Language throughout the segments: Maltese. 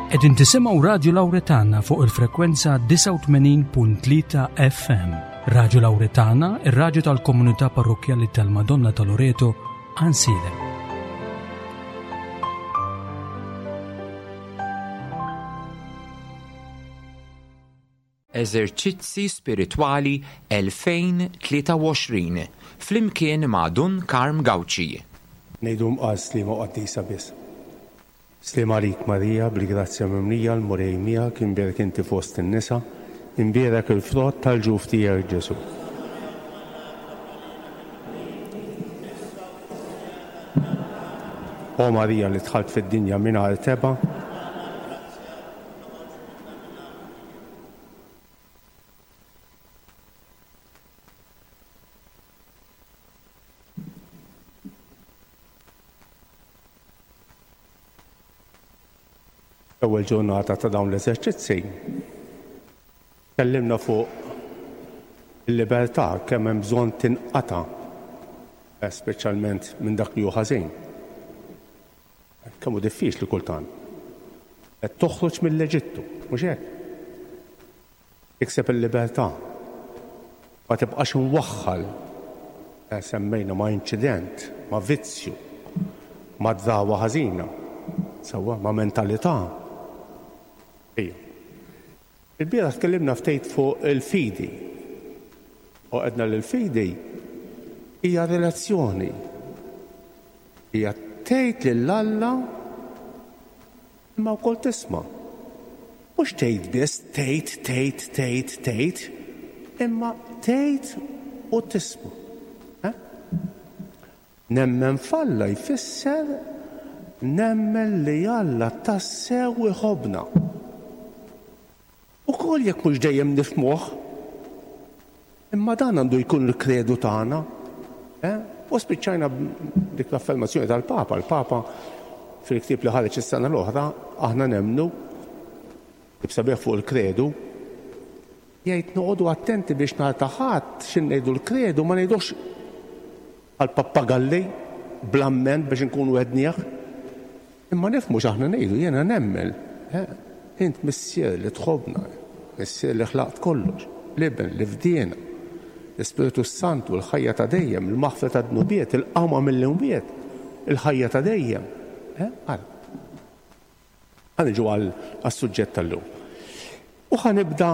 Qegħdin tisimgħu Radju Lawretana fuq il-frekwenza 89.3 FM. Radju Lawretana, ir-radju tal-komunità parrokkjali tal-Madonna ta' Loreto, Għansielem. Eżerċizzi Spiritwali 2023 flimkien ma' Dun Karm Gauci. Ngħidu mqar Sliema Qaddisa biss. Sliem għalik Marija, bil-grazzja mimlija, l-Mulej miegħek, imbierek inti fost in-nisa, imbierek il-frott tal-ġuf tiegħek Ġesù. O Marija li dħalt fid-dinja mingħajr tebgħa, L-ewwel ġurnata ta' dawn l-eżerċizzi tkellimna fuq il-libertà kemm hemm bżonn tinqata' eh, speċjalment minn dak li hu ħażin. Kemm hu diffiċli kultant. Qed toħroġ mill-Eġittu, mhux hekk? Tikseb il-libertà. Ma tibqax imwaħħal, semmejna, ma' inċident, ma' vizzju, ma' drawwa ħażina, sewwa, ma' mentalità. Ejja. Ilbieraħ tkellimna ftit fuq il-fidi. U għedna li l-fidi hija relazzjoni. Hija tgħid lil Alla Imma wkoll tisma'. Mhux tgħid biss, tgħid, tgħid, tgħid, tgħid, imma tgħid u tisma'. Eh? Nemmen f'Alla jfisser nemmen li Alla tassew iħobbna. Ukoll jekk mhux dejjem nifhmuh. Imma dan għandu jkun il-kredu tagħna. Eh? U spiċċajna dik l-affermazzjoni tal-Papa. Il-Papa fil-ktieb li ħareġ is-sena l-oħra, aħna nemmnu, ktieb sabiħ fuq il-kredu, jgħid noqogħdu attenti biex nhar ta' Ħadd xi ngħidu l-kredu ma ngħidux bħal pappagalli bl-amment biex inkunu għednieh. Imma nifhmu x'aħna ngħidu, jiena nemmen, int Missier li tħobbna, Missier li ħlaqt kollox, l-Iben li fdiena, l-Ispirtu s-Santu, l-ħajja ta' dejjem, il-maħfra tad-dnubiet, il-qawma mill-imwiet, il-ħajja ta' dejjem. Ara. Ħa niġu għas-suġġett tal-lum. U ħa nibda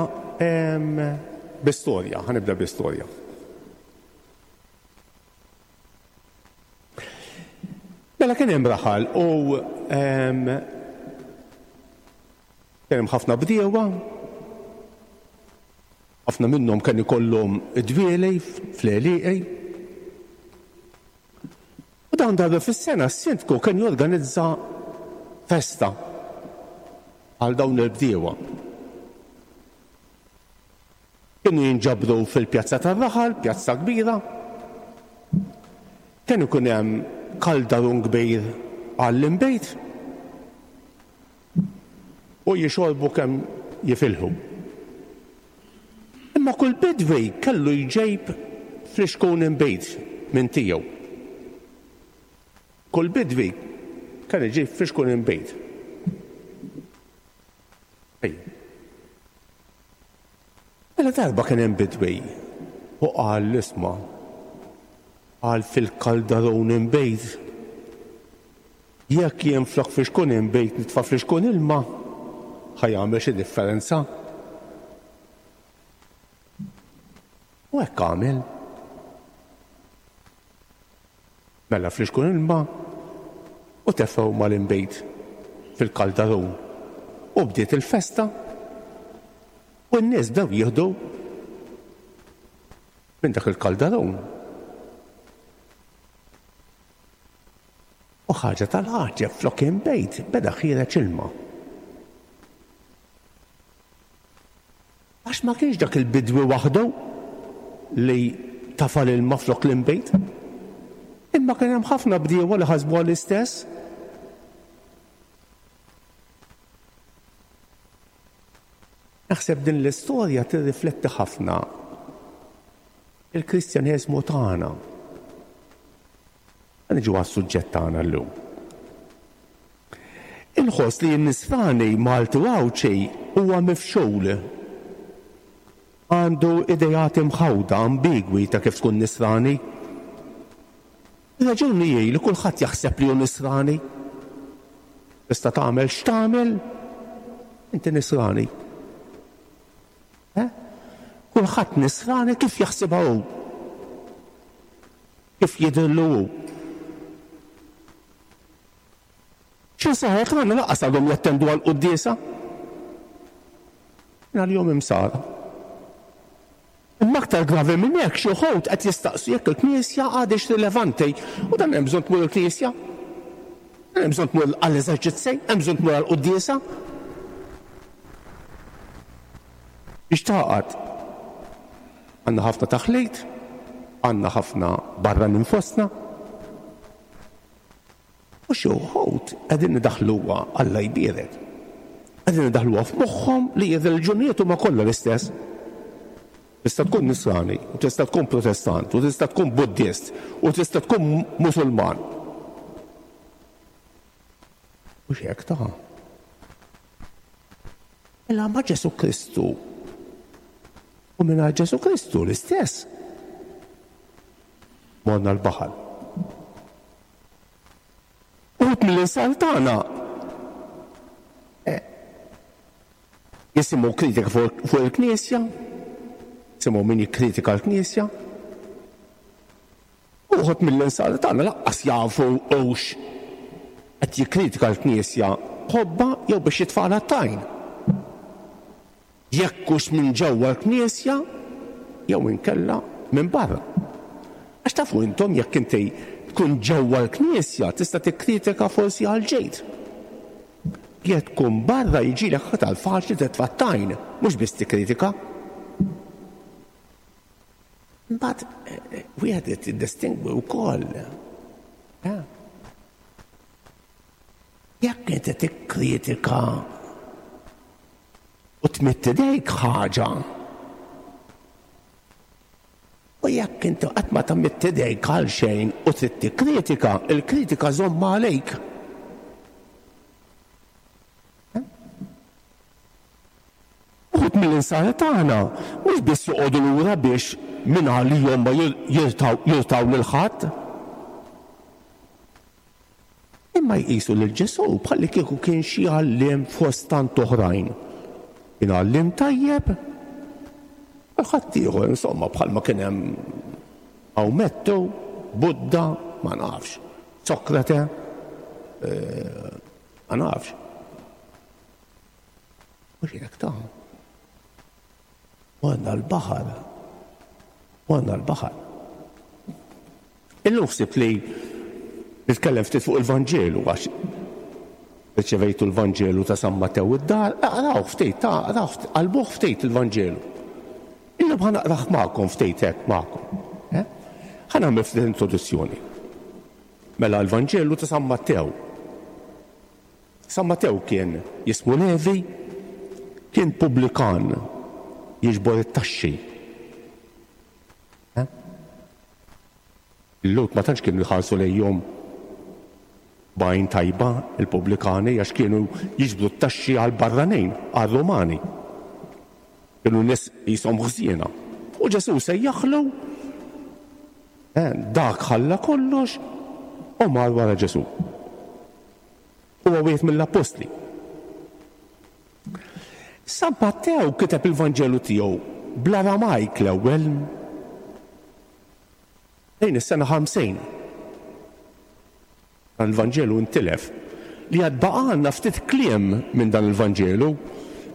bi storja, ħa nibda bi storja. Mela kien hemm raħal u kien hemm ħafna bdiewa, ħafna minnhom kien ikollhom id-dwieli fl-għelieqi. U dawn darba fis-sena s-sindku kien jorganizza festa għal dawn il-bdiewa. Kienu jinġabru fil-pjazza tar-raħal, pjazza kbira. Kien ikun hemm kaldarun kbir għall-inbejt u jixorbu kemm jifilħu. Imma kull bidwi kellu jġejb flixkun inbid minn tiegħu. Kull bidwi kien iġib flixkun inbid. Ejja. Mela darba kien hemm bidwi u qal isma' qal fil-kaldarun inbejt jekk jien flok flixkun inbejt nitfa' flixkun ilma ħa jagħmel xi differenza? U hekk għamel. Mela flixkun ilma u tefgħu mal-inbid fil-kaldarun. U bdiet il-festa u n-nies bdew jieħdu minn dak il-kaldarun. U ħaġa tal-għaġeb flok inbid beda ħiereġ ilma. Għax ma kienx dak il-bidwi waħdu li tafa' l-ilma flok l-inbid. Imma kien hemm ħafna bdiewa li ħasbuha l-istess. Naħseb din l-istorja tirrifletti ħafna il-Kristjaneżmu tagħna. Niġu għas-suġġett tagħna llum. Inħoss li n-Nisrani Malti u Għawdxi huwa mifxul. Għandu ideat imħawda, ambigwi ta' kif tkun Nisrani. Ir-raġuni hi li kulħadd jaħseb li hu Nisrani. Tista' tagħmel x'tagħmel, inti Nisrani. Eh? Kulħadd Nisrani kif jaħsibha hu. Kif jidhirlu hu. Xi nsara tagħna lanqas għadhom jattendu għall-quddiesa. Għalihom imsara. Imma aktar gravi minn hekk xi wħud qed jistaqsu jekk il-Knisja għadhiex rilevanti. U dan hemm bżonn tmur il-Knisja? Hemm bżonn tmur għall-eżerċizzi? Hemm bżonn tmur għall-quddiesa? Biex tagħqad. Għandna ħafna taħlit, għandna ħafna barranin fostna. U xi wħud qegħdin idaħħluha, Alla jbierek, qegħdin idaħħluha f'moħħhom li r-reliġjonijiet huma kollha l-istess. Tista' tkun Nisrani, u tista' tkun Protestant, u tista' tkun Buddist, u tista' tkun Musulman. Mhux hekk ta'. Mela ma' Ġesù Kristu u mingħajr Ġesù Kristu l-istess. Morna l-baħar. Uħud mill-insara tagħna eh, jisimgħu kritika fuq il-Knisja, jisimgħu min jikkritika l-Knisja. Uħud mill-insara tagħna laqqas jafu hux qed jikkritika l-Knisja ħobba jew biex jitfagħlha t-tajn. Jekk hux minn ġewwa l-Knisja jew inkella minn barra. Għax tafu intom jekk inti tkun ġewwa l-Knisja tista' tikkritika forsi għall-ġid. Jekk tkun barra jiġilek aktar faċli titfa' t-tajn, mhux biss tikkritika. Imbagħad wieħed irid jiddistingwi wkoll. Jekk inti tikkritika u tmidd idejk ħaġa. U jekk inti qatt ma tmidd idejk għal xejn u trid tikkritika, il-kritika żommha għalik. Uħud mill-insara tagħna mhux biss joqogħdu lura biex minn għalihom ma jirtaw lil ħadd. Imma jqisu lil Ġesù bħallikieku kien xi għalliem fost tant oħrajn. Kien għalliem tajjeb bħal ħaddieħor, insomma, bħalma kien hemm Awmettu, Budda, ma nafx, Sokrate, ma nafx. Mhux hekk ta'. Morna l-baħar. Morna l-baħar. Illum ħsibt li nitkellem ftit fuq il-Vanġelu għax riċevejtu l-Vanġelu ta' San Mattew id-dar, aqraw ftit, ta' aqraw ftit, qalbuh ftit il-Vanġelu. Illum ħa naqrah magħkom ftit hekk magħkom. Eh? Ħa nagħmel ftit introduzzjoni. Mela l-Vanġelu ta' San Mattew. San Mattew kien jismu Levi, kien pubblikan jiġbor it-taxxi. Eh? Il-Lhud ma tantx kienu jħarsu lejhom b'għajn tajba il-pubblikani għax kienu jiġbru t-taxxi għall-barranin, għar-Rumani. Kienu nies qishom ħżiena. U Ġesù sejjaħlu, eh, dak ħalla kollox u mar wara Ġesù. Huwa wieħed mill-appostli. San Mattew kiteb il-Vanġelu tiegħu bl-Aramajk l-ewwel lejn is-sena 50. Dan il-Vanġelu intilef li għad baqgħalna ftit kliem minn dan il-Vanġelu,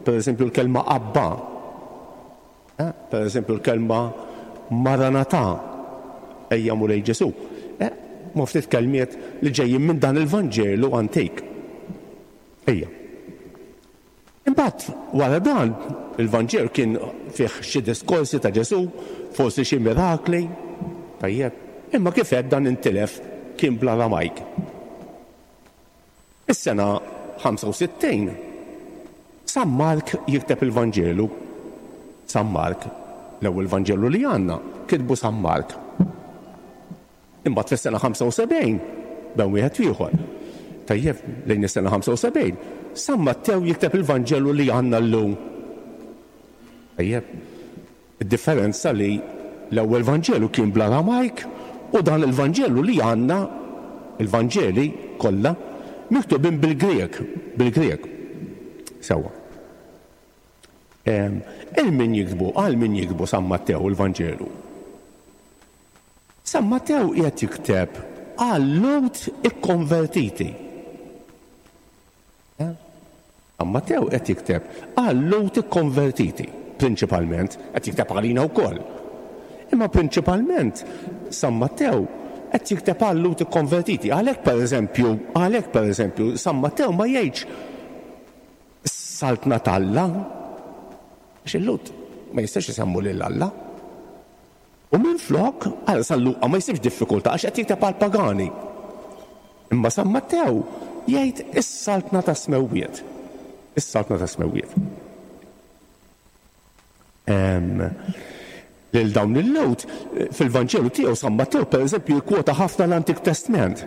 per eżempju l-kelma Abba, eh, per eżempju l-kelma Maranatha, ejja Mulej Ġesù. Eh, ma ftit kelmiet li ġejjin minn dan il-Vanġelu antik. Ejja. Imbagħad wara dan, il-Vanġelu kien fih xi diskorsi ta' Ġesù, forsi xi mirakli, tajjeb, imma kif għedt dan intilef kien bl-Aramajk. Is-sena 65, San Mark jikteb il-Vanġelu. San Mark, l-ewwel Vanġelu li għandna, kitbu San Mark. Imbagħad fis-sena 75, bejn wieħed u ieħor. Tajjeb, lejn is-sena 75, San Mattew jikteb il-Vanġelu li għandna llum. Tajjeb, id-differenza li l-ewwel Vanġelu kien bl-Aramajk u dan il-Vanġelu li għandna, il-Vanġeli kollha, miktubin bil-Grieg, bil-Grieg. Sewwa. Il min jiktbu, għal min jiktbu San Mattew il-Vanġelu? San Mattew qiegħed jikteb għal-Lhud ikkonvertiti. Eh? San Mattew qed jikteb għal-Lhud ikkonvertiti, prinċipalment, qed jikteb għalina wkoll. Imma prinċipalment San Mattew qed jikteb għal-Lhud ikkonvertiti. Għalhekk pereżempju, għalhekk pereżempju, San Mattew ma jgħidx Saltna t'Alla, għax il-Lhud ma jistax isemmu lil Alla. U minflok, ara San Luqa ma jsibx diffikultà għax qed jikteb għall-pagani. Imma San Mattew jgħid is-Saltna tas-Smewwiet. Is-Saltna tas-Smewwiet. Lil dawn il-Lhud, fil-Vanġelu tiegħu San Mattew pereżempju jikkwota ħafna l-Antik Testment.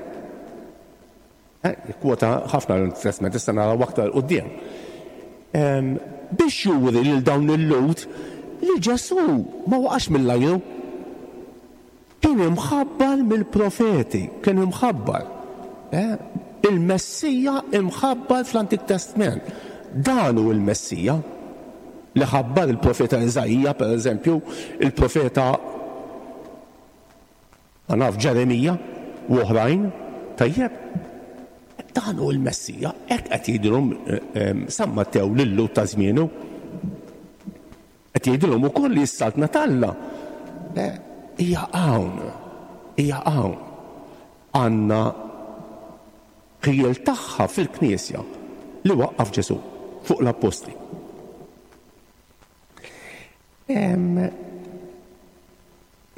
Jikkwota ħafna l-Antik Testment, issa naraw aktar 'il quddiem. Biex juri lil dawn il-Lhud li Ġesù ma waqax mill-ajru. Kien imħabbar mill-profeti, kien imħabbar. Il-Messija imħabbar fl-Antik Testment. Dan hu l-Messija li ħabbar il-profeta Iżaija, pereżempju, il-profeta Ma naf, Ġeremija u oħrajn, tajjeb? Dan hu l-Messija, hekk qed jgħidilhom San Mattew lil-Lhud ta' żmienu. Qed jgħidilhom ukoll li s-Saltna t'Alla hija hawn, hija hawn. Għandna ħjiel tagħha fil-Knisja li waqqaf Ġesù fuq l-Appostli.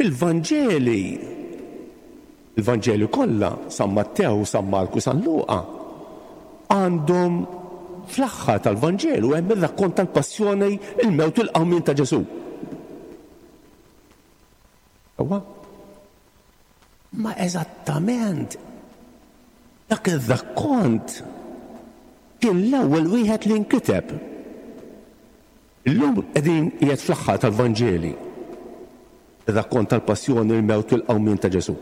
Il-Vanġeli, il-Vanġeli kollha, San Mattew, San Marku, San Luqa, għandhom fl-aħħar tal-Vanġelu hemm ir-rakkont tal-passjoni, il-mewt u l-qawmien ta' Ġesù. Ewa? Ma eżattament dak ir-rakkont kien l-ewwel wieħed li nkiteb. Illum qegħdin qiegħed fl-aħħar tal-Vanġeli, ir-rakkont tal-passjoni, il-mewt u l-qawmien ta' Ġesù.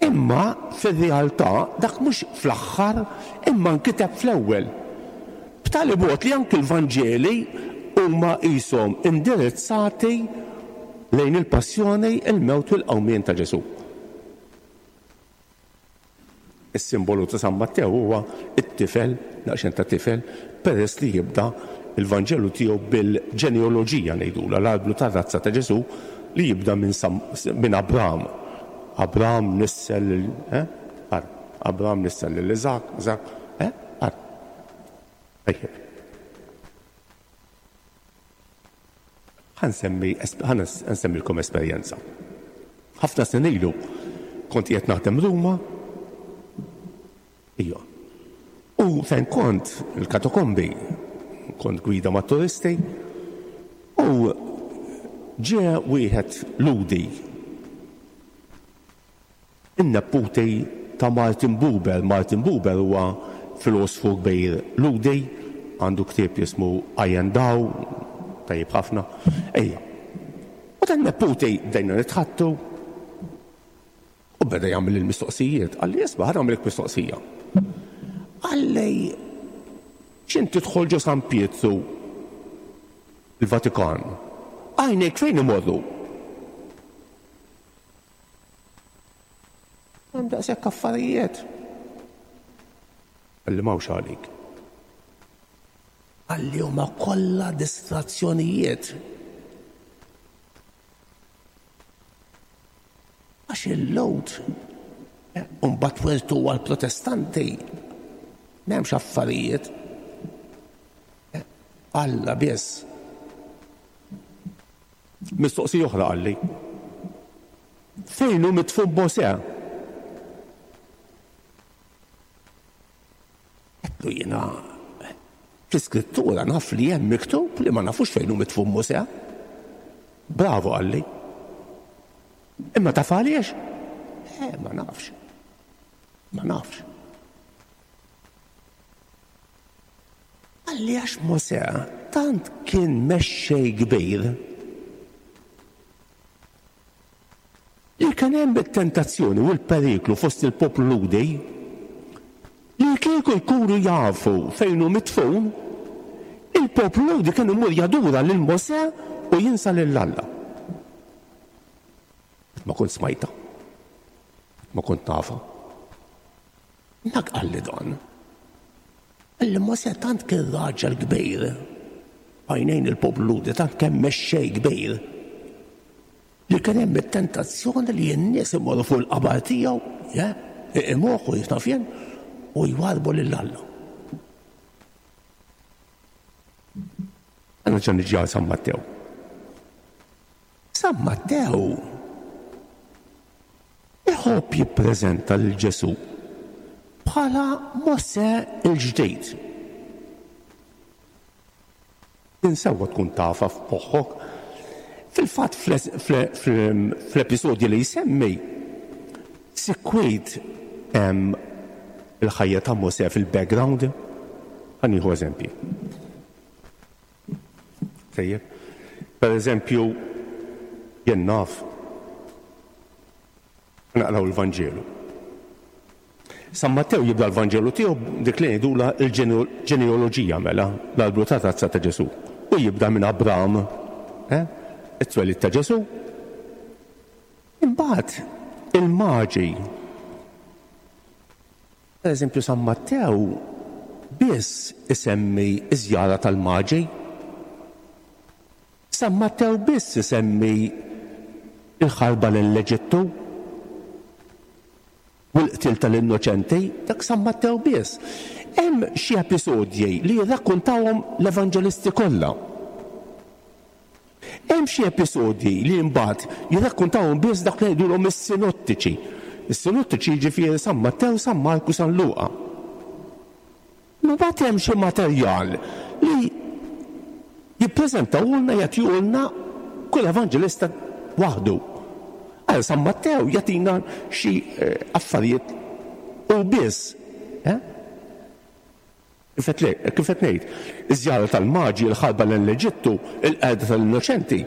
Imma fir-realtà dak mhux fl-aħħar imma nkiteb fl-ewwel. B'tali mod li anki l-Vanġeli huma qishom indirizzati lejn il-passjoni, il-mewt u l-qawmien ta' Ġesù. Is-simbolu ta' San Mattew huwa t-tifel, daqsxejn ta' tifel, peress li jibda l-Vanġelu tiegħu bil-ġeneoloġija ngħidulha, l-arblu tar-razza ta' Ġesù li jibda minn San, minn Abram. Abram nissel lil, eh? Ara, Abram nissel lil Iżakk, Iżakk, eh? Ara. Tajjeb. Ħa nsemmi, ħa nsemmilkom esperjenza. Ħafna snin ilu kont qiegħed naħdem Ruma, ija. U fejn kont il-katakombi, kont gwida mat-turisti, u ġie wieħed Lhudi In-neputi ta' Martin Buber. Martin Buber huwa filosfu kbir Lhudi, għandu ktieb jismu I and Thou, tajjeb ħafna. Ejja. U dan neputi bdejna nitħaddtu u beda jagħmel il-mistoqsijiet. Qalli isma' ħa nagħmlek mistoqsija. Qalli x'int tidħol ġo San Pietru il-Vatikan, għajnejk fejn imorru? Hemm daqshekk affarijiet. Qalli m'hawnx għalik. Qalli huma kollha distrazzjonijiet. Għax il-lod mbagħad wirtu għall-Protestanti m'hemmx affarijiet. Alla biss. Mistoqsija oħra qalli. Fejn hu midfun Mosè? Għedtlu jiena fl-iskrittura naf li hemm miktub li ma nafux fejn hu midfun Mosè. Bravo qalli. Imma taf għaliex? Eh, ma nafx. Ma nafx. Qalli għax Mosè tant kien mexxej kbir li kien hemm it-tentazzjoni u l-periklu fost il-poplu Lhudi li kieku jkunu jafu fejn hu midfun, il-poplu Lhudi kien imur jadura lil Mosè u jinsa lil Alla. Qatt ma kont smajtha. Qatt ma kont nafha. Dak qalli dan. Qalli Mosè tant kien raġel kbir f'għajnejn il-poplu Lhudi, tant kien mexxej kbir, li kien hemm it-tentazzjoni li n-nies imorru fuq il-qabar tiegħu, iqimuh u jien naf jien, u jwarrbu lil Alla. Nerġa' niġi għal San Mattew. San Mattew iħobb jippreżenta lil Ġesù bħala Mosè l-ġdid. Din sewwa tkun tafha f'moħħok. Fil-fatt fl-episodji li jsemmi, sikwit hemm il-ħajja ta' Mosè fil-background. Ħa nieħu eżempji. Tajjeb. Per eżempju, jien naf, naqraw il-Vanġelu. San Mattew jibda l-Vanġelu tiegħu dik li ngħidulha l-ġenealoġija mela, l-albru ta' tazza ta' Ġesù. U jibda minn Abram, eh? it-twelid ta' Ġesù. Imbagħad il-maġi Per eżempju San Mattew biss isemmi ż-żjara tal-Maġi. San Mattew biss isemmi l-ħarba lejn l-Eġittu u l-qtil tal-innoċenti, dak San Mattew biss. Hemm xi episodji li jirrakkuntawhom l-evanġelisti kollha. Hemm xi episodji li mbagħad jirrakkuntawhom biss dawk li ngħidulhom is-sinottiċi. Is-sinottiċi jiġifieri San Mattew, San Mark u San Luqa. Imma mbagħad hemm xi materjal li jippreżentawulna jagħtihulna kull evanġelista waħdu. Għal San Mattew jagħtina xi eh, affarijiet u biss. Eh? Kif qed ngħid, iż-żjara tal-Maġi, il-ħarba lejn l-Eġittu, il-qerda tal-innoċenti,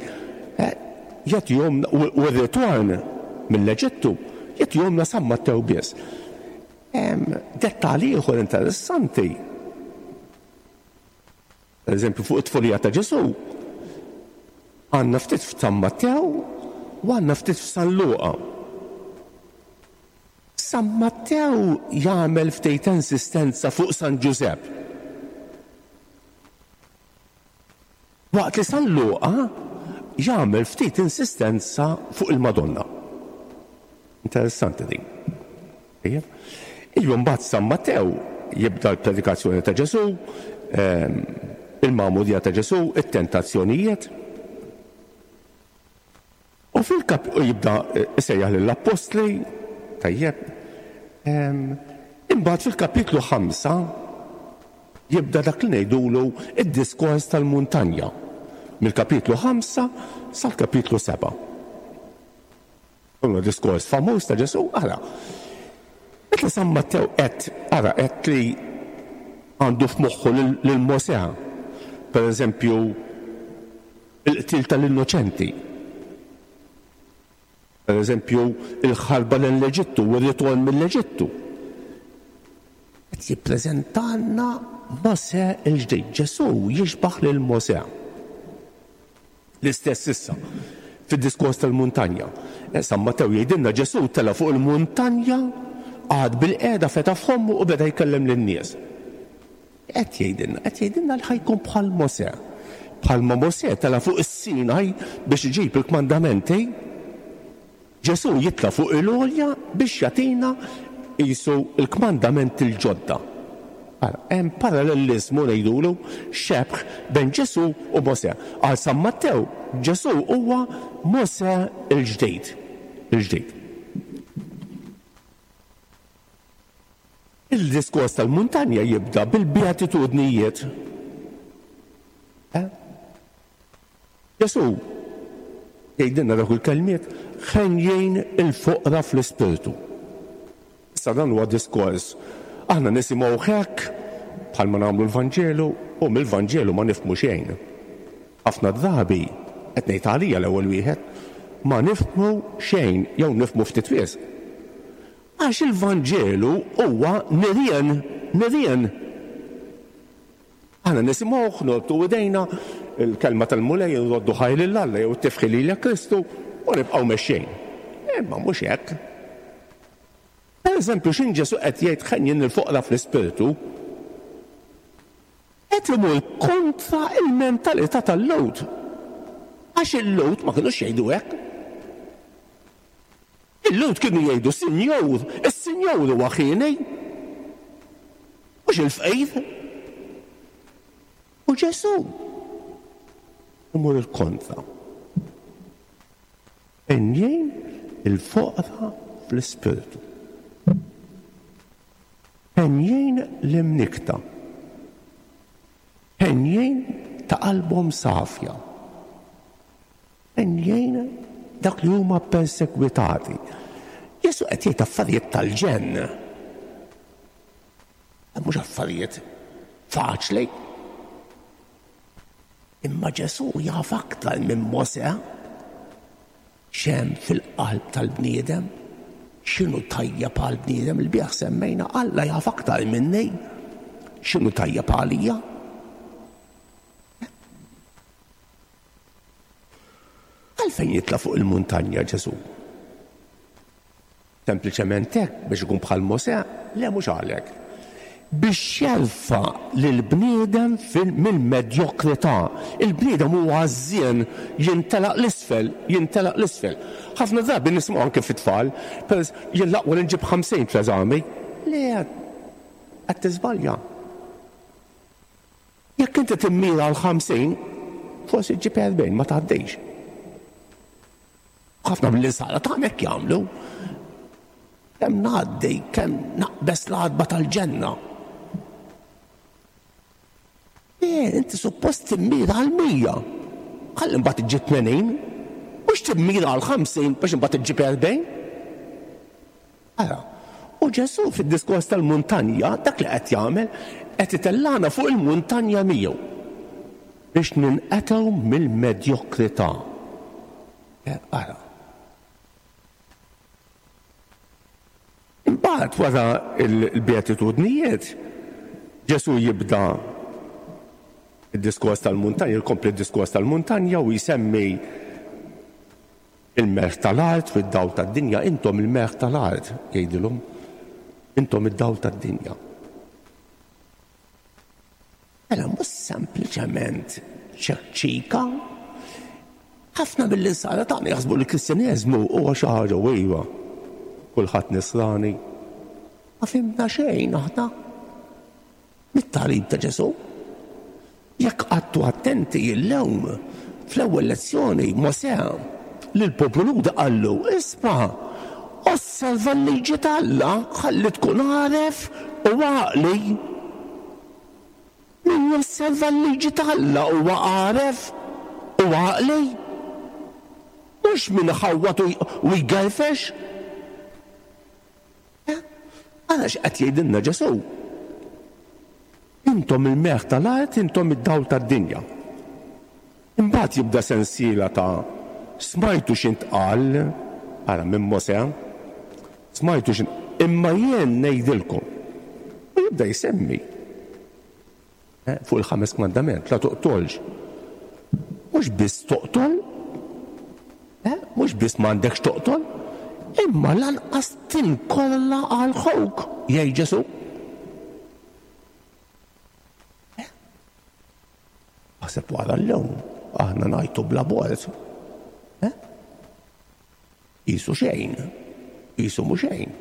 jagħtihomlna, u r-ritorn mill-Eġittu, jagħtihomlna San Mattew biss. Dettall ieħor interessanti, per eżempju fuq it-tfulija ta' Ġesù, għandna ftit f'San Mattew u għandna ftit f'San Luqa. San Mattew jagħmel ftit insistenza fuq San Ġużepp. Waqt li San Luqa jagħmel ftit insistenza fuq il-Madonna. Interessanti din. Ilu mbagħad San Mattew jibda l-predikazzjoni ta' Ġesù, ehm, il-magħmudija ta' Ġesù, it-tentazzjonijiet. U fil-kap u jibda jsejjaħ lill-appostli, tajjeb. Imbagħad fil-kapitlu 5 jibda dak li ngħidulu id-diskors tal-muntanja. Mill-kapitlu 5 sal-kapitlu 7. Huwa diskors famuż ta' Ġesù, ara. Meta San Mattew qed ara qed li għandu f'moħħu lil Mosè, per eżempju, Il-qtil tal-innoċenti. Per eżempju, il-ħarba lejn l-Eġittu u r-ritorn mill-Eġittu. Qed jippreżentalna Mosè l-ġdid. Ġesù jixbah lil Mosè. L-istess issa fid-diskors tal-muntanja. Eh, San Mattew jgħidilna Ġesù tela' fuq il-muntanja, qagħad bil-qiegħda fetaħ fommu u beda jkellem lin-nies. Qed jgħidilna? Qed jgħidilna li ħa jkun bħal Mosè. Bħalma Mosè tela' fuq is-Sinaj biex iġib il-kmandamenti, Ġesù jitla' fuq il-għolja biex jagħtina qisu l-kmandamenti l-ġodda. Ara, hemm paralleliżmu ngħidulu, xebh bejn Ġesù u Mosè. Għal San Mattew, Ġesù huwa Mosè l-ġdid. Il-ġdid. Il-diskors tal-muntanja jibda bil-beatitudnijiet. Eh? Ġesù jgħidilna dawk il-kelmiet ħenjin il-foqra fl-ispirtu. Issa dan huwa diskors aħna nisimgħu hekk. bħalma nagħmlu l-Vanġelu u mill-Vanġelu ma nifhmu xejn. Ħafna drabi, qed ngħid għalija l-ewwel wieħed, ma nifhmu xejn jew nifhmu ftit wisq. Għax il-Vanġelu huwa nirien, nirien. Aħna nisimgħuh, norbtu idejna, il-kelma tal-Mulej nroddu ħajr lil Alla jew it-tifħir lilek Kristu u nibqgħu mexjin. Imma mhux hekk. Per eżempju, x'in Ġesù qed jgħid ħenjin il-foqra fl-ispirtu, qed imur kontra il-mentalità tal-Lhud. Għax il-Lhud ma kinux jgħidu hekk. Il-Lhud kienu jgħidu, Sinjur, is-Sinjur huwa ħieni, mhux il-fqir. U Ġesù imur il-kontra. Henjin il-foqra fl-ispirtu. Henjin l-imnikkta. Henjin ta' qalbhom safja. Henjin dawk li huma ppersegwitati. Ġesù qed jgħid affarijiet tal-ġenn. Mhux affarijiet faċli. Imma Ġesù jaf aktar minn Mosè x'hemm fil-qalb tal-bniedem, x'inhu tajjeb għall-bniedem. Il-bieraħ semmejna Alla jaf aktar minni x'inhu tajjeb għalija. Għalfejn jitla' fuq il-muntanja Ġesù? Sempliċement hekk biex ikun bħal Mosè? Le mhux għalhekk. Biex jerfa' lill-bniedem mill-medjokrità. Il-bniedem huwa għażżien, jintelaq 'l isfel, jintelaq 'l isfel. Ħafna drabi nisimgħu anke fit-tfal, pereż. Jien l-aqwa li nġib 50 fl-eżami. Le, qed tiżbalja. Jekk inti timmira għal 50, forsi ġġib 40, ma tgħaddix. Ħafna mill-insara tagħna hekk jagħmlu. Kemm ngħaddi, kemm naqbeż l-għatba tal-ġenna. Eh, inti suppost timmira għal 100. Ħalli mbagħad iġġib 80, mhux timmira għal 50 biex imbagħad iġġib 40. Ara, u Ġesù fid-diskors tal-muntanja dak li qed jagħmel qed itellagħna fuq il-muntanja miegħu biex ninqetgħu mill-medjokrità. Eh, ara. Imbagħad wara l-beatitudnijiet, Ġesù jibda id-diskors tal-muntanja, jkompli d-diskors tal-muntanja u jsemmi Il-melħ tal-art u d-dawl tad-dinja, intom il-melħ tal-art, jgħidilhom, intom id-dawl tad-dinja. Mela mhux sempliċement ċekċika. Ħafna mill-insara tagħna jaħsbu li l-Kristjaneżmu huwa xi ħaġa u iva. Kulħadd nisrani. Ma fhimna xejn aħna. Mit-tagħlim ta' Ġesù. Jekk qgħadtu attenti illum, fl-ewwel lezzjoni Mosè lill-poplu Lhudi qallu, Isma', osserva l-liġi t'Alla ħalli tkun għaref u għaqli. Min josserva l-liġi t'Alla huwa għaref u għaqli. Mhux min iħawwad u jgerfex. Ara x'qed jgħidilna Ġesù. Intom il-melħ tal-art, intom id-dawl tad-dinja. Imbagħad jibda sensiela ta' smajtu x'intqal, ara minn Mosè, smajtu x'int imma jien ngħidilkom. U jibda jsemmi eh, fuq il-ħames kmandament, la toqtolx. Mhux biss toqtol, eh, mhux biss m'għandekx toqtol, imma lanqas tinkolla għal ħuk, jgħid Ġesù. Eh? Aħseb wara llum, aħna ngħajtu bla bord. Eh? Qisu xejn, qisu mhu xejn.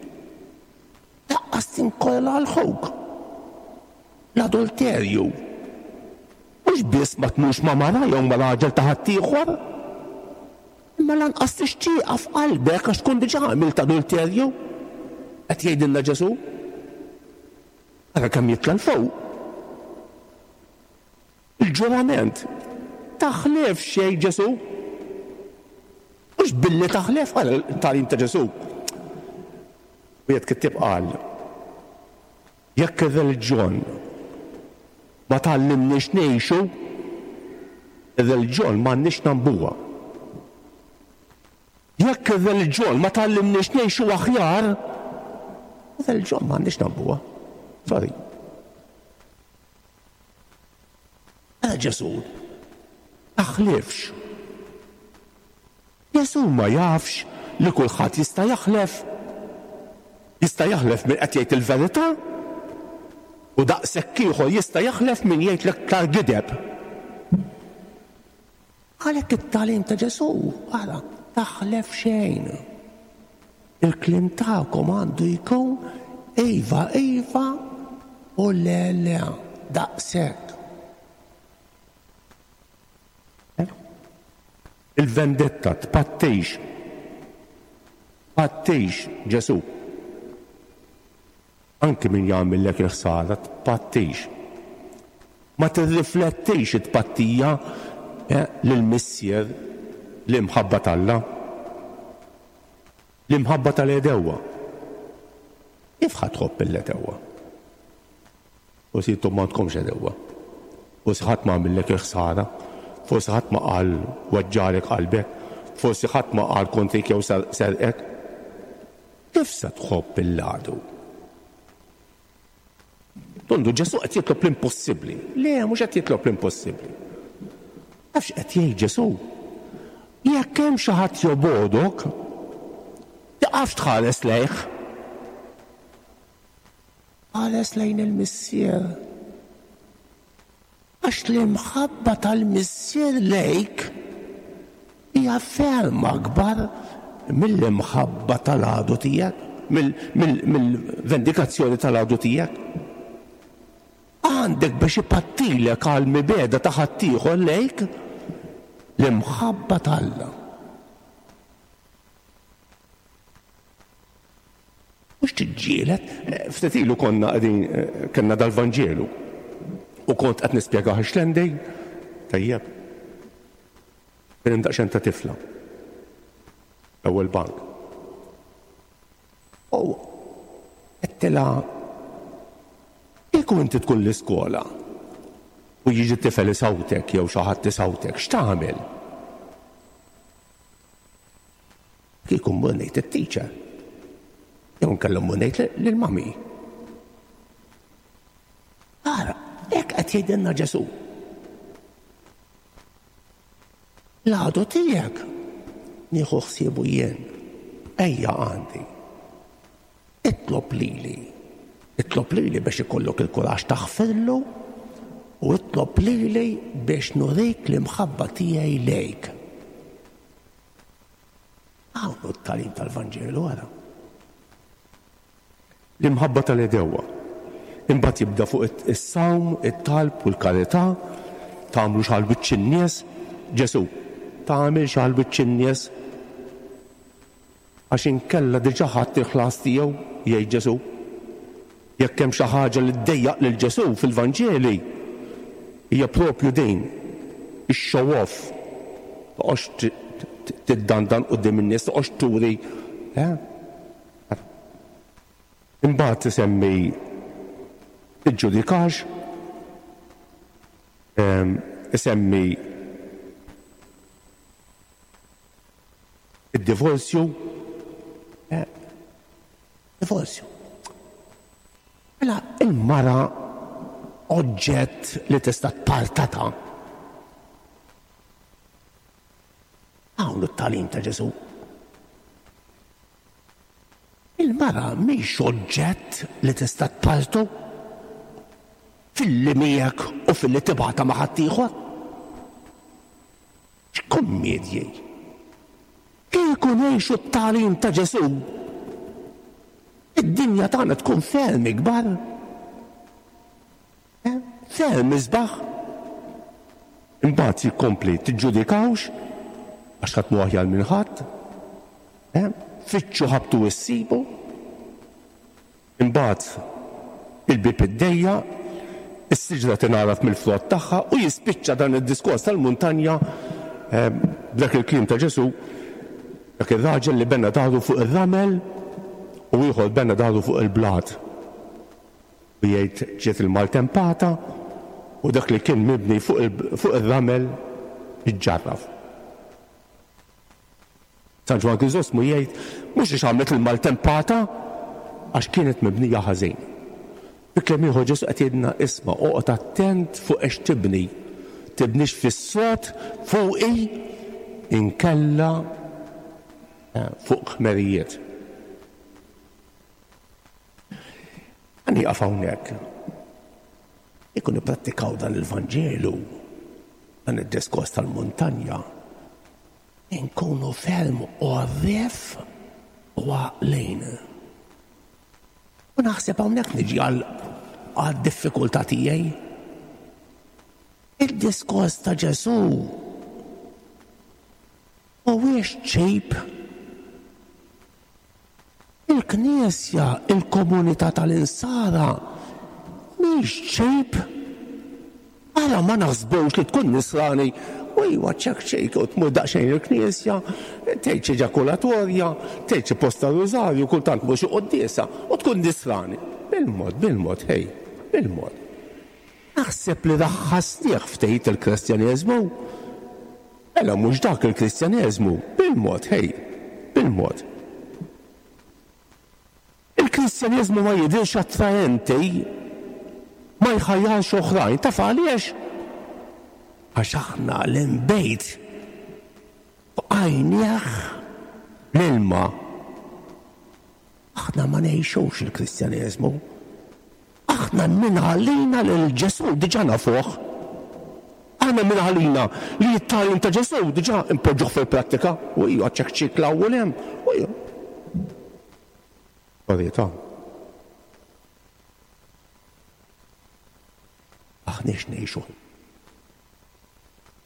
Lanqas tinkola għal ħuk. L-adulterju. Mhux biss ma tmurx ma' mara jew ma' raġel ta' ħaddieħor, imma lanqas tixtieqha f'qalbek għax tkun diġà għamilt adulterju. Qed jgħidilna Ġesù. Ara kemm jitla' 'l fuq. Il-ġurament. Taħlefx, jgħid Ġesù. Mhux billi taħlef, ara t-tagħlim ta' Ġesù. Wieħed kittieb qal, jekk ir-reliġjon ma tgħallimniex ngħixu, ir-reliġjon m'għandniex nagħmbuha. Jekk ir-reliġjon ma tgħallimniex ngħixu aħjar, ir-reliġjon m'għandniex nagħmbuha. Sorry. Mela Ġesù taħlifx. Ġesù ma jafx li kulħadd jista' jaħlef. Jista' jaħlef min qed jgħid il-verità u daqshekk ieħor jista' jaħlef min jgħid l-iktar gideb. Għalhekk it-tagħlim ta' Ġesù, ara, taħlef xejn. Il-kliem tagħkom għandu jkun iva, iva u le, le, daqshekk. Il-vendetta tpattix. Tpattix, Ġesù. Anki min jagħmillek il-ħsara tpattix. Ma tirriflettix it-tpattija lill-Missier l-imħabba t'Alla. L-imħabba tal-għedewwa. Kif ħa tħobb il-għedewwa? Forsi intom m'għandkomx għedewwa. Forsi ħadd ma għamillek il-ħsara. Forsi ħadd ma qal weġġagħlek qalbek. Forsi ħadd ma qal kontrik jew serqek. Kif se tħobb lill-għadu? Tondu Ġesù qed jitlob l-impossibbli. Le, mhux qed jitlob l-impossibbli. Taf x'qed jgħid Ġesù? Jekk hemm xi ħadd jobgħodok, tiqafx tħares lejh. Ħares lejn il-Missier. Għax l-imħabba tal-Missier lejk hija ferm akbar mill-imħabba tal-għadu tiegħek, mill-vendikazzjoni tal-għadu tiegħek. Għandek biex ipattilek għall-mibegħda ta' ħaddieħor lejk l-imħabba t'Alla. Mhux tiġġieled. Ftit ilu konna qegħdin kellna dal-Vanġelu u kont qed nispjegah ix-Xlendej, tajjeb. Kien hemm daqsxejn ta' tifla. L-ewwel bank. U għedtilha kieku inti tkun l-iskola u jiġi tifel isawtek jew xi ħadd isawtek, x'tagħmel? Kieku mmur ngħid it-teacher. Jew inkella mmur ngħid lill-mami. Ara, hekk qed jgħidilna Ġesù. L-għadu tiegħek nieħu ħsiebu jien. Ejja għandi. Itlob lili. Itlob lili biex ikollok il-kuraġġ taħfirlu u itlob lili biex nurik l-imħabba tiegħi lejk. Hawn hu t-tagħlim tal-Vanġelu ara. L-imħabba tal-għedewwa. Imbagħad jibda fuq is-sawm, it-talb u l-karità, tagħmlux għal wiċċ in-nies. Ġesù, tagħmilx għal wiċċ in-nies. Għax inkella diġà ħadt il-ħlas tiegħu, jgħid Ġesù. Jekk hemm xi ħaġa li ddejjaq lil Ġesù fil-Vanġeli, hija proprju din, ix-show off. Toqgħodx tiddandan quddiem in-nies, toqgħodx turi. Eh? Imbagħad isemmi tiġġudikax, ehm, isemmi id-divorzju, eh, Divorzju. Mela il-mara oġġett li tista' tpartata. Hawn it-tagħlim ta' Ġesù. Il-mara mhix oġġett li tista' tpartu filli miegħek u filli tibgħatha ma' ħaddieħor. X'kummedji! Kieku ngħixu t-tagħlim ta' Ġesù, id-dinja tagħna tkun ferm ikbar, eh, ferm isbaħ. Imbagħad jikkompli tiġġudikawx għax ħadd mhu aħjar minn ħadd. Eh, fittxu ħabtu issibu. Imbagħad il-bieb iddejjaq, is-siġra tingħaraf mill-frott tagħha u jispiċċa dan id-diskors tal-muntanja b'dak il-kliem ta' Ġesù, dak ir-raġel li bena daru fuq ir-ramel u ieħor bena daru fuq il-blat. U jgħid ġiet il-maltempata. u dak li kien mibni fuq ir-ramel iġġarraf. San Ġwann Kriżostmu jgħid mhux għax għamlet il-maltempata għax kienet mibnija ħażin. Fi kliem ieħor Ġesù qed jgħidilna isma' oqgħod attent fuq ex tibni. Tibnix fis-sod fuqi inkella eh, fuq ħmerijiet. Ħa nieqaf hawnhekk. Jekk nipprattikaw dan il-Vanġelu, dan id-diskors tal-muntanja, inkunu ferm għorrief u għaqlin. U naħseb hawnhekk niġi għal diffikultà tiegħi. Il-diskors ta' Ġesù mhuwiex cheap. Il-Knisja, il-komunità tal-Insara, mhix cheap. Ara ma naħsbux li tkun nisrani u iwa ċek ċek u tmur daqsxejn il-Knisja, tgħid xi ġakulatorja, tgħid xi posta rużarju, kultant mhux xi quddiesa u tkun nisrani. Bil-mod, bil-mod, hej, bil-mod. Naħseb li raħħasnieh ftit il-Kristjaneżmu. Mela mhux dak il-Kristjaneżmu, bil-mod, hej, bil-mod. Il-Kristjaneżmu ma jidhirx attraenti, ma jħajjarx oħrajn. Taf għaliex? Għax aħna l-inbejt bqajnieh l-ilma. Aħna ma ngħixux il-Kristjaneżmu. Aħna min għalina lil Ġesù diġà nafuh. Aħna min għalina li t-tagħlim ta' Ġesù diġà impoġġuh fil-prattika. U hija ċekċik l-ewwel hemm. U hija. Verità. Aħniex ngħixu.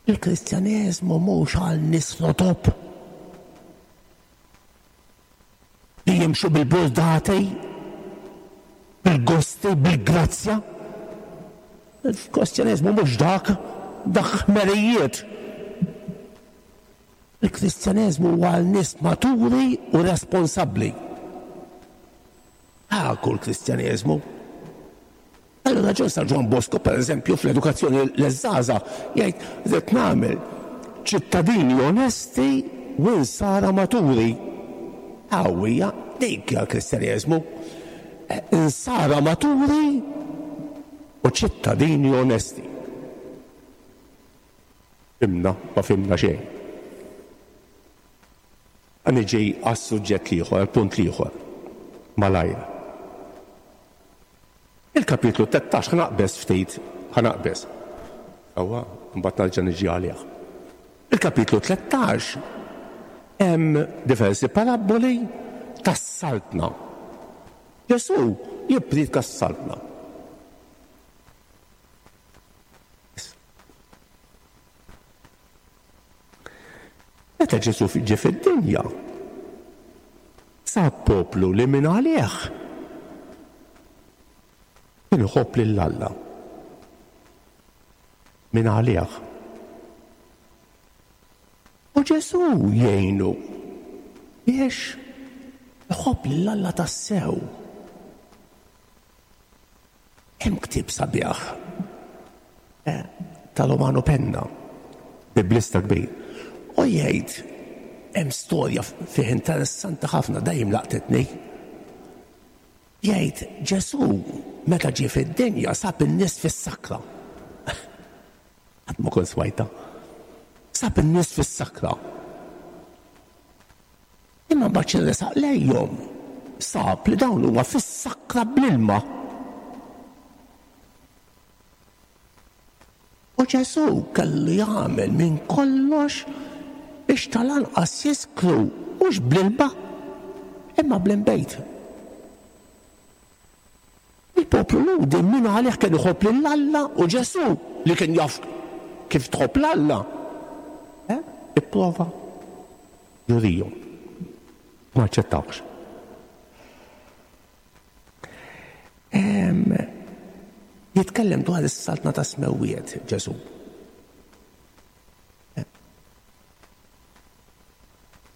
Il-Kristjaneżmu mhux għal nies rotop li jimxu bil-burdati, bil-gosti, bil-grazzja. Il-Kristjaneżmu mhux dak, dak ħmerijiet. Il-Kristjaneżmu huwa għal nies maturi u responsabbli. Dak hu l-Kristjaneżmu. Għal raġun San Ġwann Bosco, per eżempju, fl-edukazzjoni l-żgħażagħ jgħid rrid nagħmel ċittadini onesti u insara maturi. Qawwija dik hija l-Kristjaneżmu. Insara maturi u ċittadini onesti. Fhimna, ma fhimna xejn. Ħa niġi għas-suġġett l-ieħor, għall-punt l-ieħor. Malajr. Il-kapitlu 13 ħa naqbeż ftit, ħa naqbeż. Sewwa, mbagħad nerġa' niġi għalih. Il-kapitlu 13 hemm diversi parabboli tas-saltna. Ġesù jippriedka s-saltna. Meta Ġesù ġie fid-dinja, sab poplu li minn għalih kien iħobb lil Alla. Minn għalih. U Ġesù jgħinu biex iħobb lil Alla tassew. Hemm ktieb sabiħ eh, ta' Romano Penna, biblista kbir, u jgħid hemm storja fih interessanti ħafna dejjem laqtitni. Jgħid Ġesù meta ġie fid-dinja sab in-nies fis-sakra. Qatt ma kont smajta. Sab in-nies fis-sakra. Imma mbagħad xi resaq lejhom sab li dawn huma fis-sakra bl-ilma. U Ġesù kellu jagħmel minn kollox biex tal-anqas jiskru mhux bl-ilma imma bl-inbejt. Il-poplu Lhudi min għalih kien iħobb lil Alla u Ġesù li kien jaf kif tħobb 'l Alla, eh, ipprova jurihom. Ma aċċettawhx. Jitkellem dwar is-saltna ta' smewwiet Ġesù.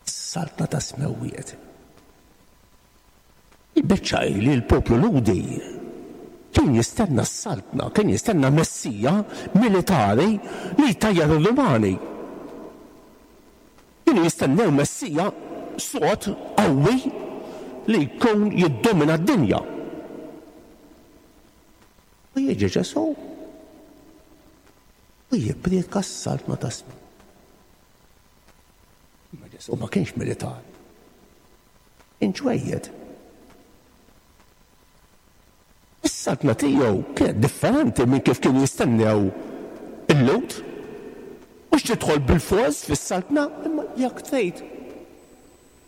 Is-saltna ta' smewwiet. Il-biċċa hi li l-poplu Lhudi. Kien jistenna s-saltna, kien jistenna Messija militari li jtajjar ir-Rumani. Kienu jistennew Messija sod, qawwi, li jkun jiddomina d-dinja. U jiġi Ġesù u jippriedka s-saltna tas-sema. Imma Ġesù ma kienx militari. Kien ġwejjed. Is-saltna tiegħu kienet differenti minn kif kienu jistennew il-Lhud. Mhux tidħol bilfors fis-saltna, imma jekk trid.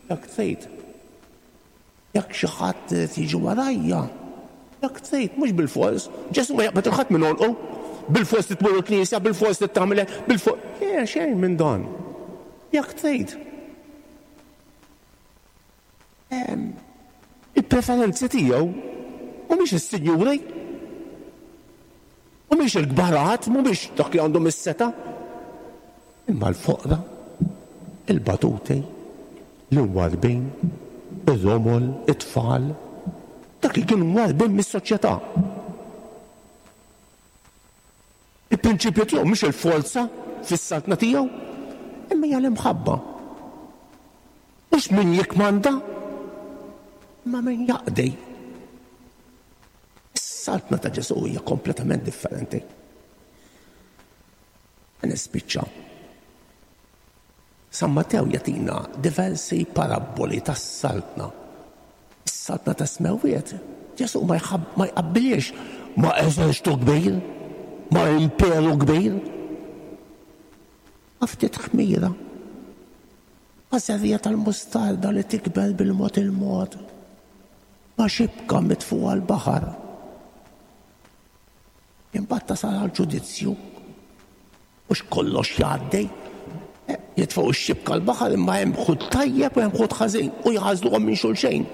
Jekk trid. Jekk xi ħadd irid jiġi warajja, jekk trid, mhux bilfors. Ġesù ma jaqbad 'il ħadd minn għonqu. Bilfors trid tmur il-knisja, bilfors trid tagħmel hekk, bilfors. Le, xejn minn dan. Jekk trid. Il-preferenzi tiegħu mhumiex is-sinjuri, mhumiex il-kbarat, mhumiex dak li għandhom is-setgħa, imma l-foqra, il-batuti, l-imwarrbin, ir-romol, it-tfal, dak li kienu mwarrbin mis-soċjetà. Il-prinċipju tiegħu mhix il-forza fis-saltna tiegħu, imma hija l-imħabba. Mhux min jikkmanda, imma min jaqdi. Is-saltna ta' Ġesù hija kompletament differenti. Nispiċċa. San Mattew jagħtina diversi parabboli tas-Saltna. Is-Saltna tas-Smewwiet, Ġesù ma jqabbilhiex ma' eżerċtu kbir, ma' imperu kbir. Ma' ftit ħmira, ma' żerriegħa tal-mustarda li tikber bil-mod il-mod, ma' xibka mitfugħa l-baħar. Imbagħad tasal għall-ġudizzju. Mhux kollox jgħaddi. Jitfgħu x-xibka l-baħar imma hemm ħut tajjeb u hemm ħut ħażin u jgħażluhom minn xulxejn.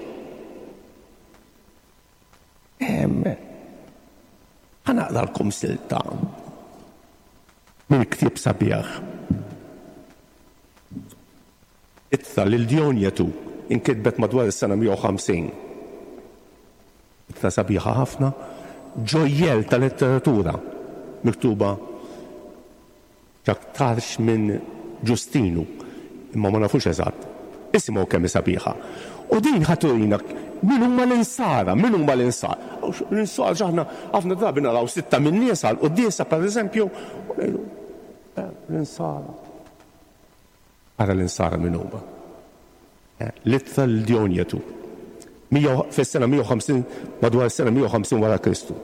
Ħa naqralkom silta minn ktieb sabiħ. Ittra lil Dionjetu inkitbet madwar is-sena 150. Ittra sabiħa ħafna, ġojjell ta' letteratura miktuba x'aktarx minn Ġustinu, imma ma nafux eżatt. Isimgħu kemm hi sabiħa. U din ħa turina min huma l-insara, min huma l-insara. L-insara x'aħna ħafna drabi naraw sitta min-nies għall-quddiesa pereżempju, u ngħidu, eh, l-insara. Ara l-Insara min huma. L-ittra lil Dionjetu. Fis-sena 150, madwar is-sena 150 wara Kristu.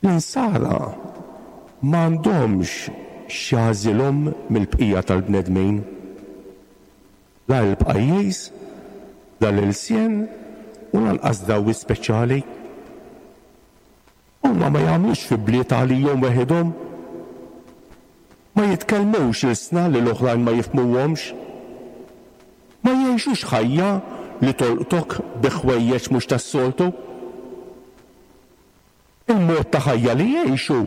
L-Insara m'għandhomx x'jagħżilhom mill-bqija tal-bnedmin. La l-pajjiż, la l-ilsien u lanqas drawwiet speċjali. Huma ma jagħmlux fi bliet għalihom weħidhom. Ma jitkellmux ilsna li l-oħrajn ma jifhmuhomx. Ma jgħixux ħajja li tolqtok bi ħwejjeġ mhux tas-soltu. Il-mod ta' ħajja li jgħixu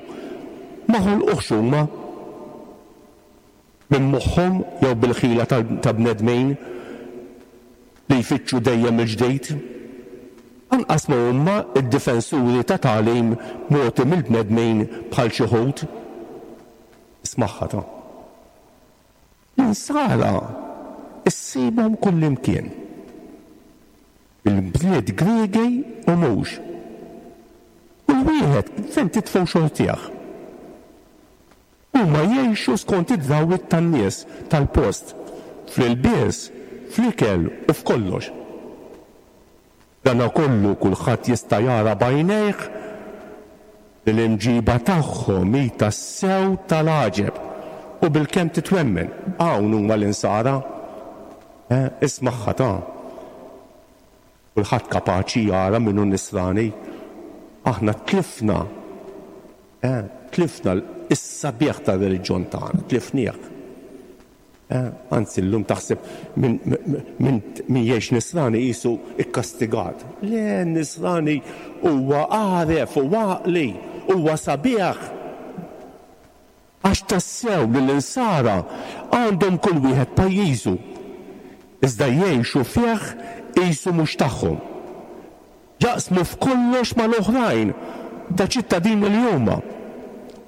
ma ħolquhx huma. Minn moħħhom jew bil-ħila ta' bnedmin li jfittxu dejjem il-ġdid. Anqas ma huma d-difensuri ta' tagħlim mogħti mill-bnedmin bħal xi wħud. Ismagħha ta'. L-Insara ssibhom kullimkien. Il-bliet Griegi u mhux. Kull wieħed fejn titfgħu xortih. Huma jgħixu skont id-drawwiet tan-nies tal-post, fl-ilbies, fl-ikel u f'kollox. B'danakollu kulħadd jista' jara b'għajnejh li l-imġiba tagħhom hi tassew tal-għaġeb u bilkemm titwemmen. Hawn huma l-Insara. Eh, ismagħha ta'. Kulħadd kapaċi jara min hu Nisrani. Aħna tlifna Eh, tlifna s-sabiħ tar-reliġjon tagħna, tlifnieh. Eh, anzi llum taħseb min, min, min jgħix nisrani qisu ikkastigat. Le, nisrani huwa għaref u għaqli, huwa sabiħ. Għax tassew li l-insara għandhom kull wieħed pajjiżu, iżda jgħixu fih qisu mhux tagħhom. Jaqsmu f'kollox mal-oħrajn ta' ċittadini li huma,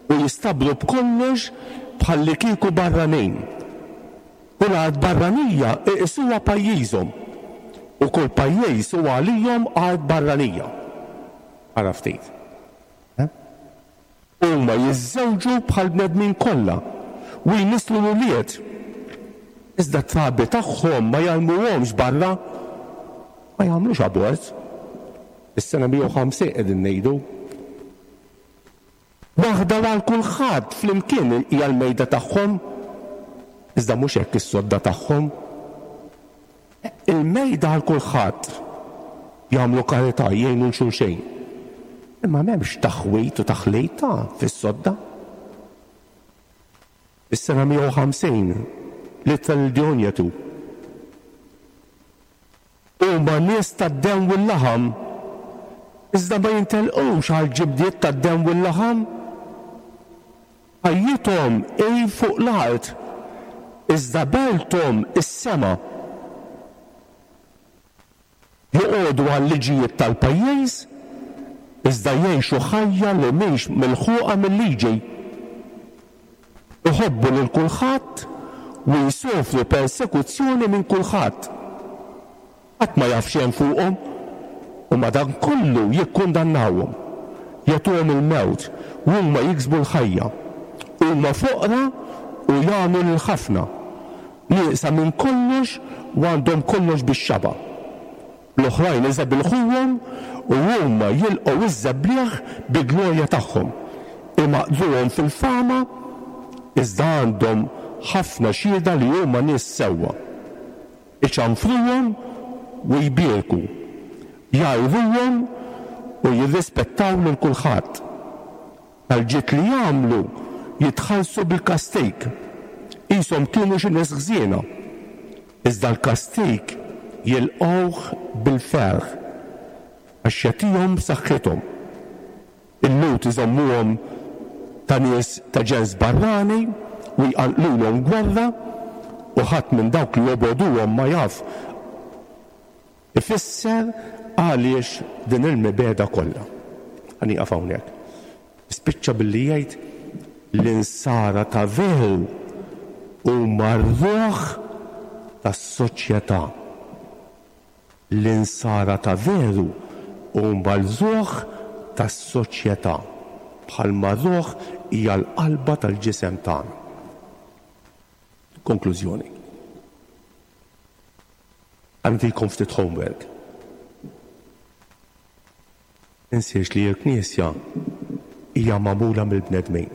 u jistabru b'kollox bħallikieku barranin. Kull art barranija iqisuha pajjiżhom, u kull pajjiż hu għalihom art barranija. Ara ftit. Huma jiżżewġu bħall-bnedmin kollha u jnisslu l-ulied. Iżda t-trabi tagħhom ma jarmuhomx barra. Ma jagħmlux abort. Is-sena 150 qegħdin ngħidu. Waħda u għal kulħadd flimkien hija l-mejda tagħhom. Iżda mhux hekk is-sodda tagħhom. Il-mejda għal kulħadd. Jagħmlu karità, jgħinu 'l xulxejn. Imma m'hemmx taħwid u taħlit ta' fis-sodda. Is-sena 150, l-ittra lil Dionjetu. Huma nies tad-demm u l-laħam, iżda ma jintelqux għall-ġibdiet tad-demm u l-laħam. Ħajjithom hi fuq l-art, iżda belthom is-sema. Joqogħdu għal-liġijiet tal-pajjiż, iżda jgħixu ħajja li mhix milħuqa mil-liġi. Iħobbu lil kulħadd u jsofru persekuzzjoni minn kulħadd. Ħadd ma jaf x'hemm fuqhom u madankollu jikkundannawhom. Jagħtuhom il-mewt u huma jiksbu l-ħajja. Huma foqra u jagħnu lil ħafna. Nieqsa minn kollox u għandhom kollox bix-xaba'. L-oħrajn iżebilħuhom u huma jilqgħu ż-żebliegħ bi glorja tagħhom. Imaqdruhom fil-fama, iżda għandhom ħafna xhieda li huma nies sewwa. Iċanfruhom u jbierku, jgħajruhom u jirrispettaw lil kulħadd. Għall-ġid li jagħmlu jitħallsu bil-kastig, qishom kienu xi nies ħżiena. Iżda l-kastig jilqgħuh bil-ferħ, għax jagħtihom saħħithom. Il-Lhud iżommuhom ta' nies ta' ġens barrani u jqanqlulhom gwerra, u ħadd minn dawk li jobogħduhom ma jaf ifisser għaliex din il-mibegħda kollha. Ħa nieqaf hawnhekk. Spiċċa billi jgħid l-insara ta' veru huma r-ruħ tas-soċjetà. L-insara ta' veru huma l-ruħ tas-soċjetà, bħalma r-ruħ hija l-qalba tal-ġisem tagħna. Konklużjoni. Ħa nagħtikom ftit homework. Tinsiex li l-Knisja hija magħmula mill-bnedmin.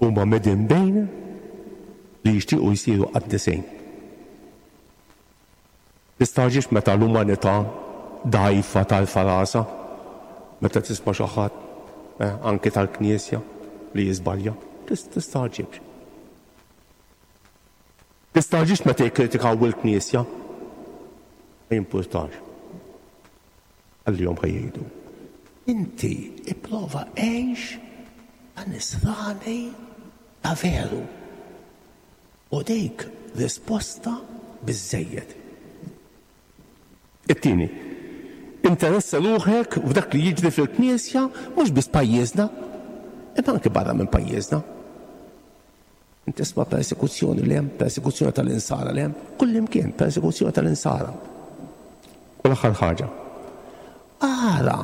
Huma midinbin li jixtiequ jsiru qaddisin. Tistagħġibx meta l-umanità dgħajfa tarfa' rasha meta tisma' xi ħadd, eh, anki tal-Knisja, li jiżbalja. Tistagħġibx. Tistagħġibx meta jikkritikaw il-Knisja. Ma jimpurtax. Ħallihom ħa jgħidu. Inti ipprova għix ta' nisrani ta' veru. U dik risposta biżżejjed. It-tieni, interessa ruħek f'dak li jiġri fil-Knisja mhux biss pajjiżna, imma anki barra minn pajjiżna. Int tisma' persekuzzjoni 'l hemm, persekuzzjoni tal-insara 'l hemm, kullimkien persekuzzjoni tal-insara. U l-aħħar ħaġa, ara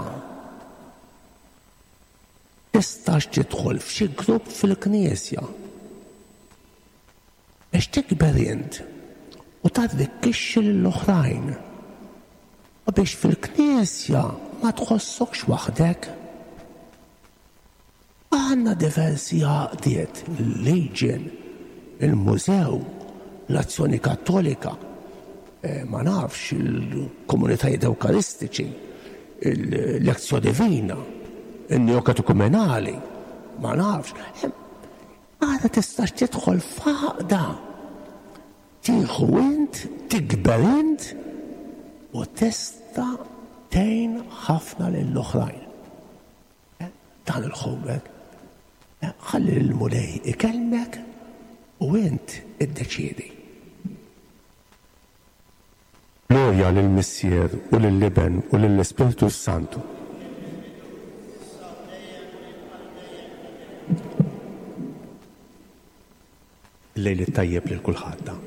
tistax tidħol f'xi grupp fil-Knisja biex tikber int u tarrikkixxi lill-oħrajn u biex fil-Knisja ma tħossokx waħdek. Għandna diversi għaqdiet, il-Legion, il-Mużew, l-Azzjoni Kattolika, ma nafx, il-komunitajiet Ewkaristiċi, il-Lectio Divina, in-Neokatekumenali, ma nafx. Għada tistax tidħol f'għaqda. Tieħu int, tikber int u tista' tgħin ħafna lill-oħrajn. Dan il-homework. Ħalli l-Mulej ikellmek u int iddeċiedi. Glorja lill-Missier u lill-Iben u lill-Ispirtu s-Santu. Il-lejl it-tajjeb lil kulħadd.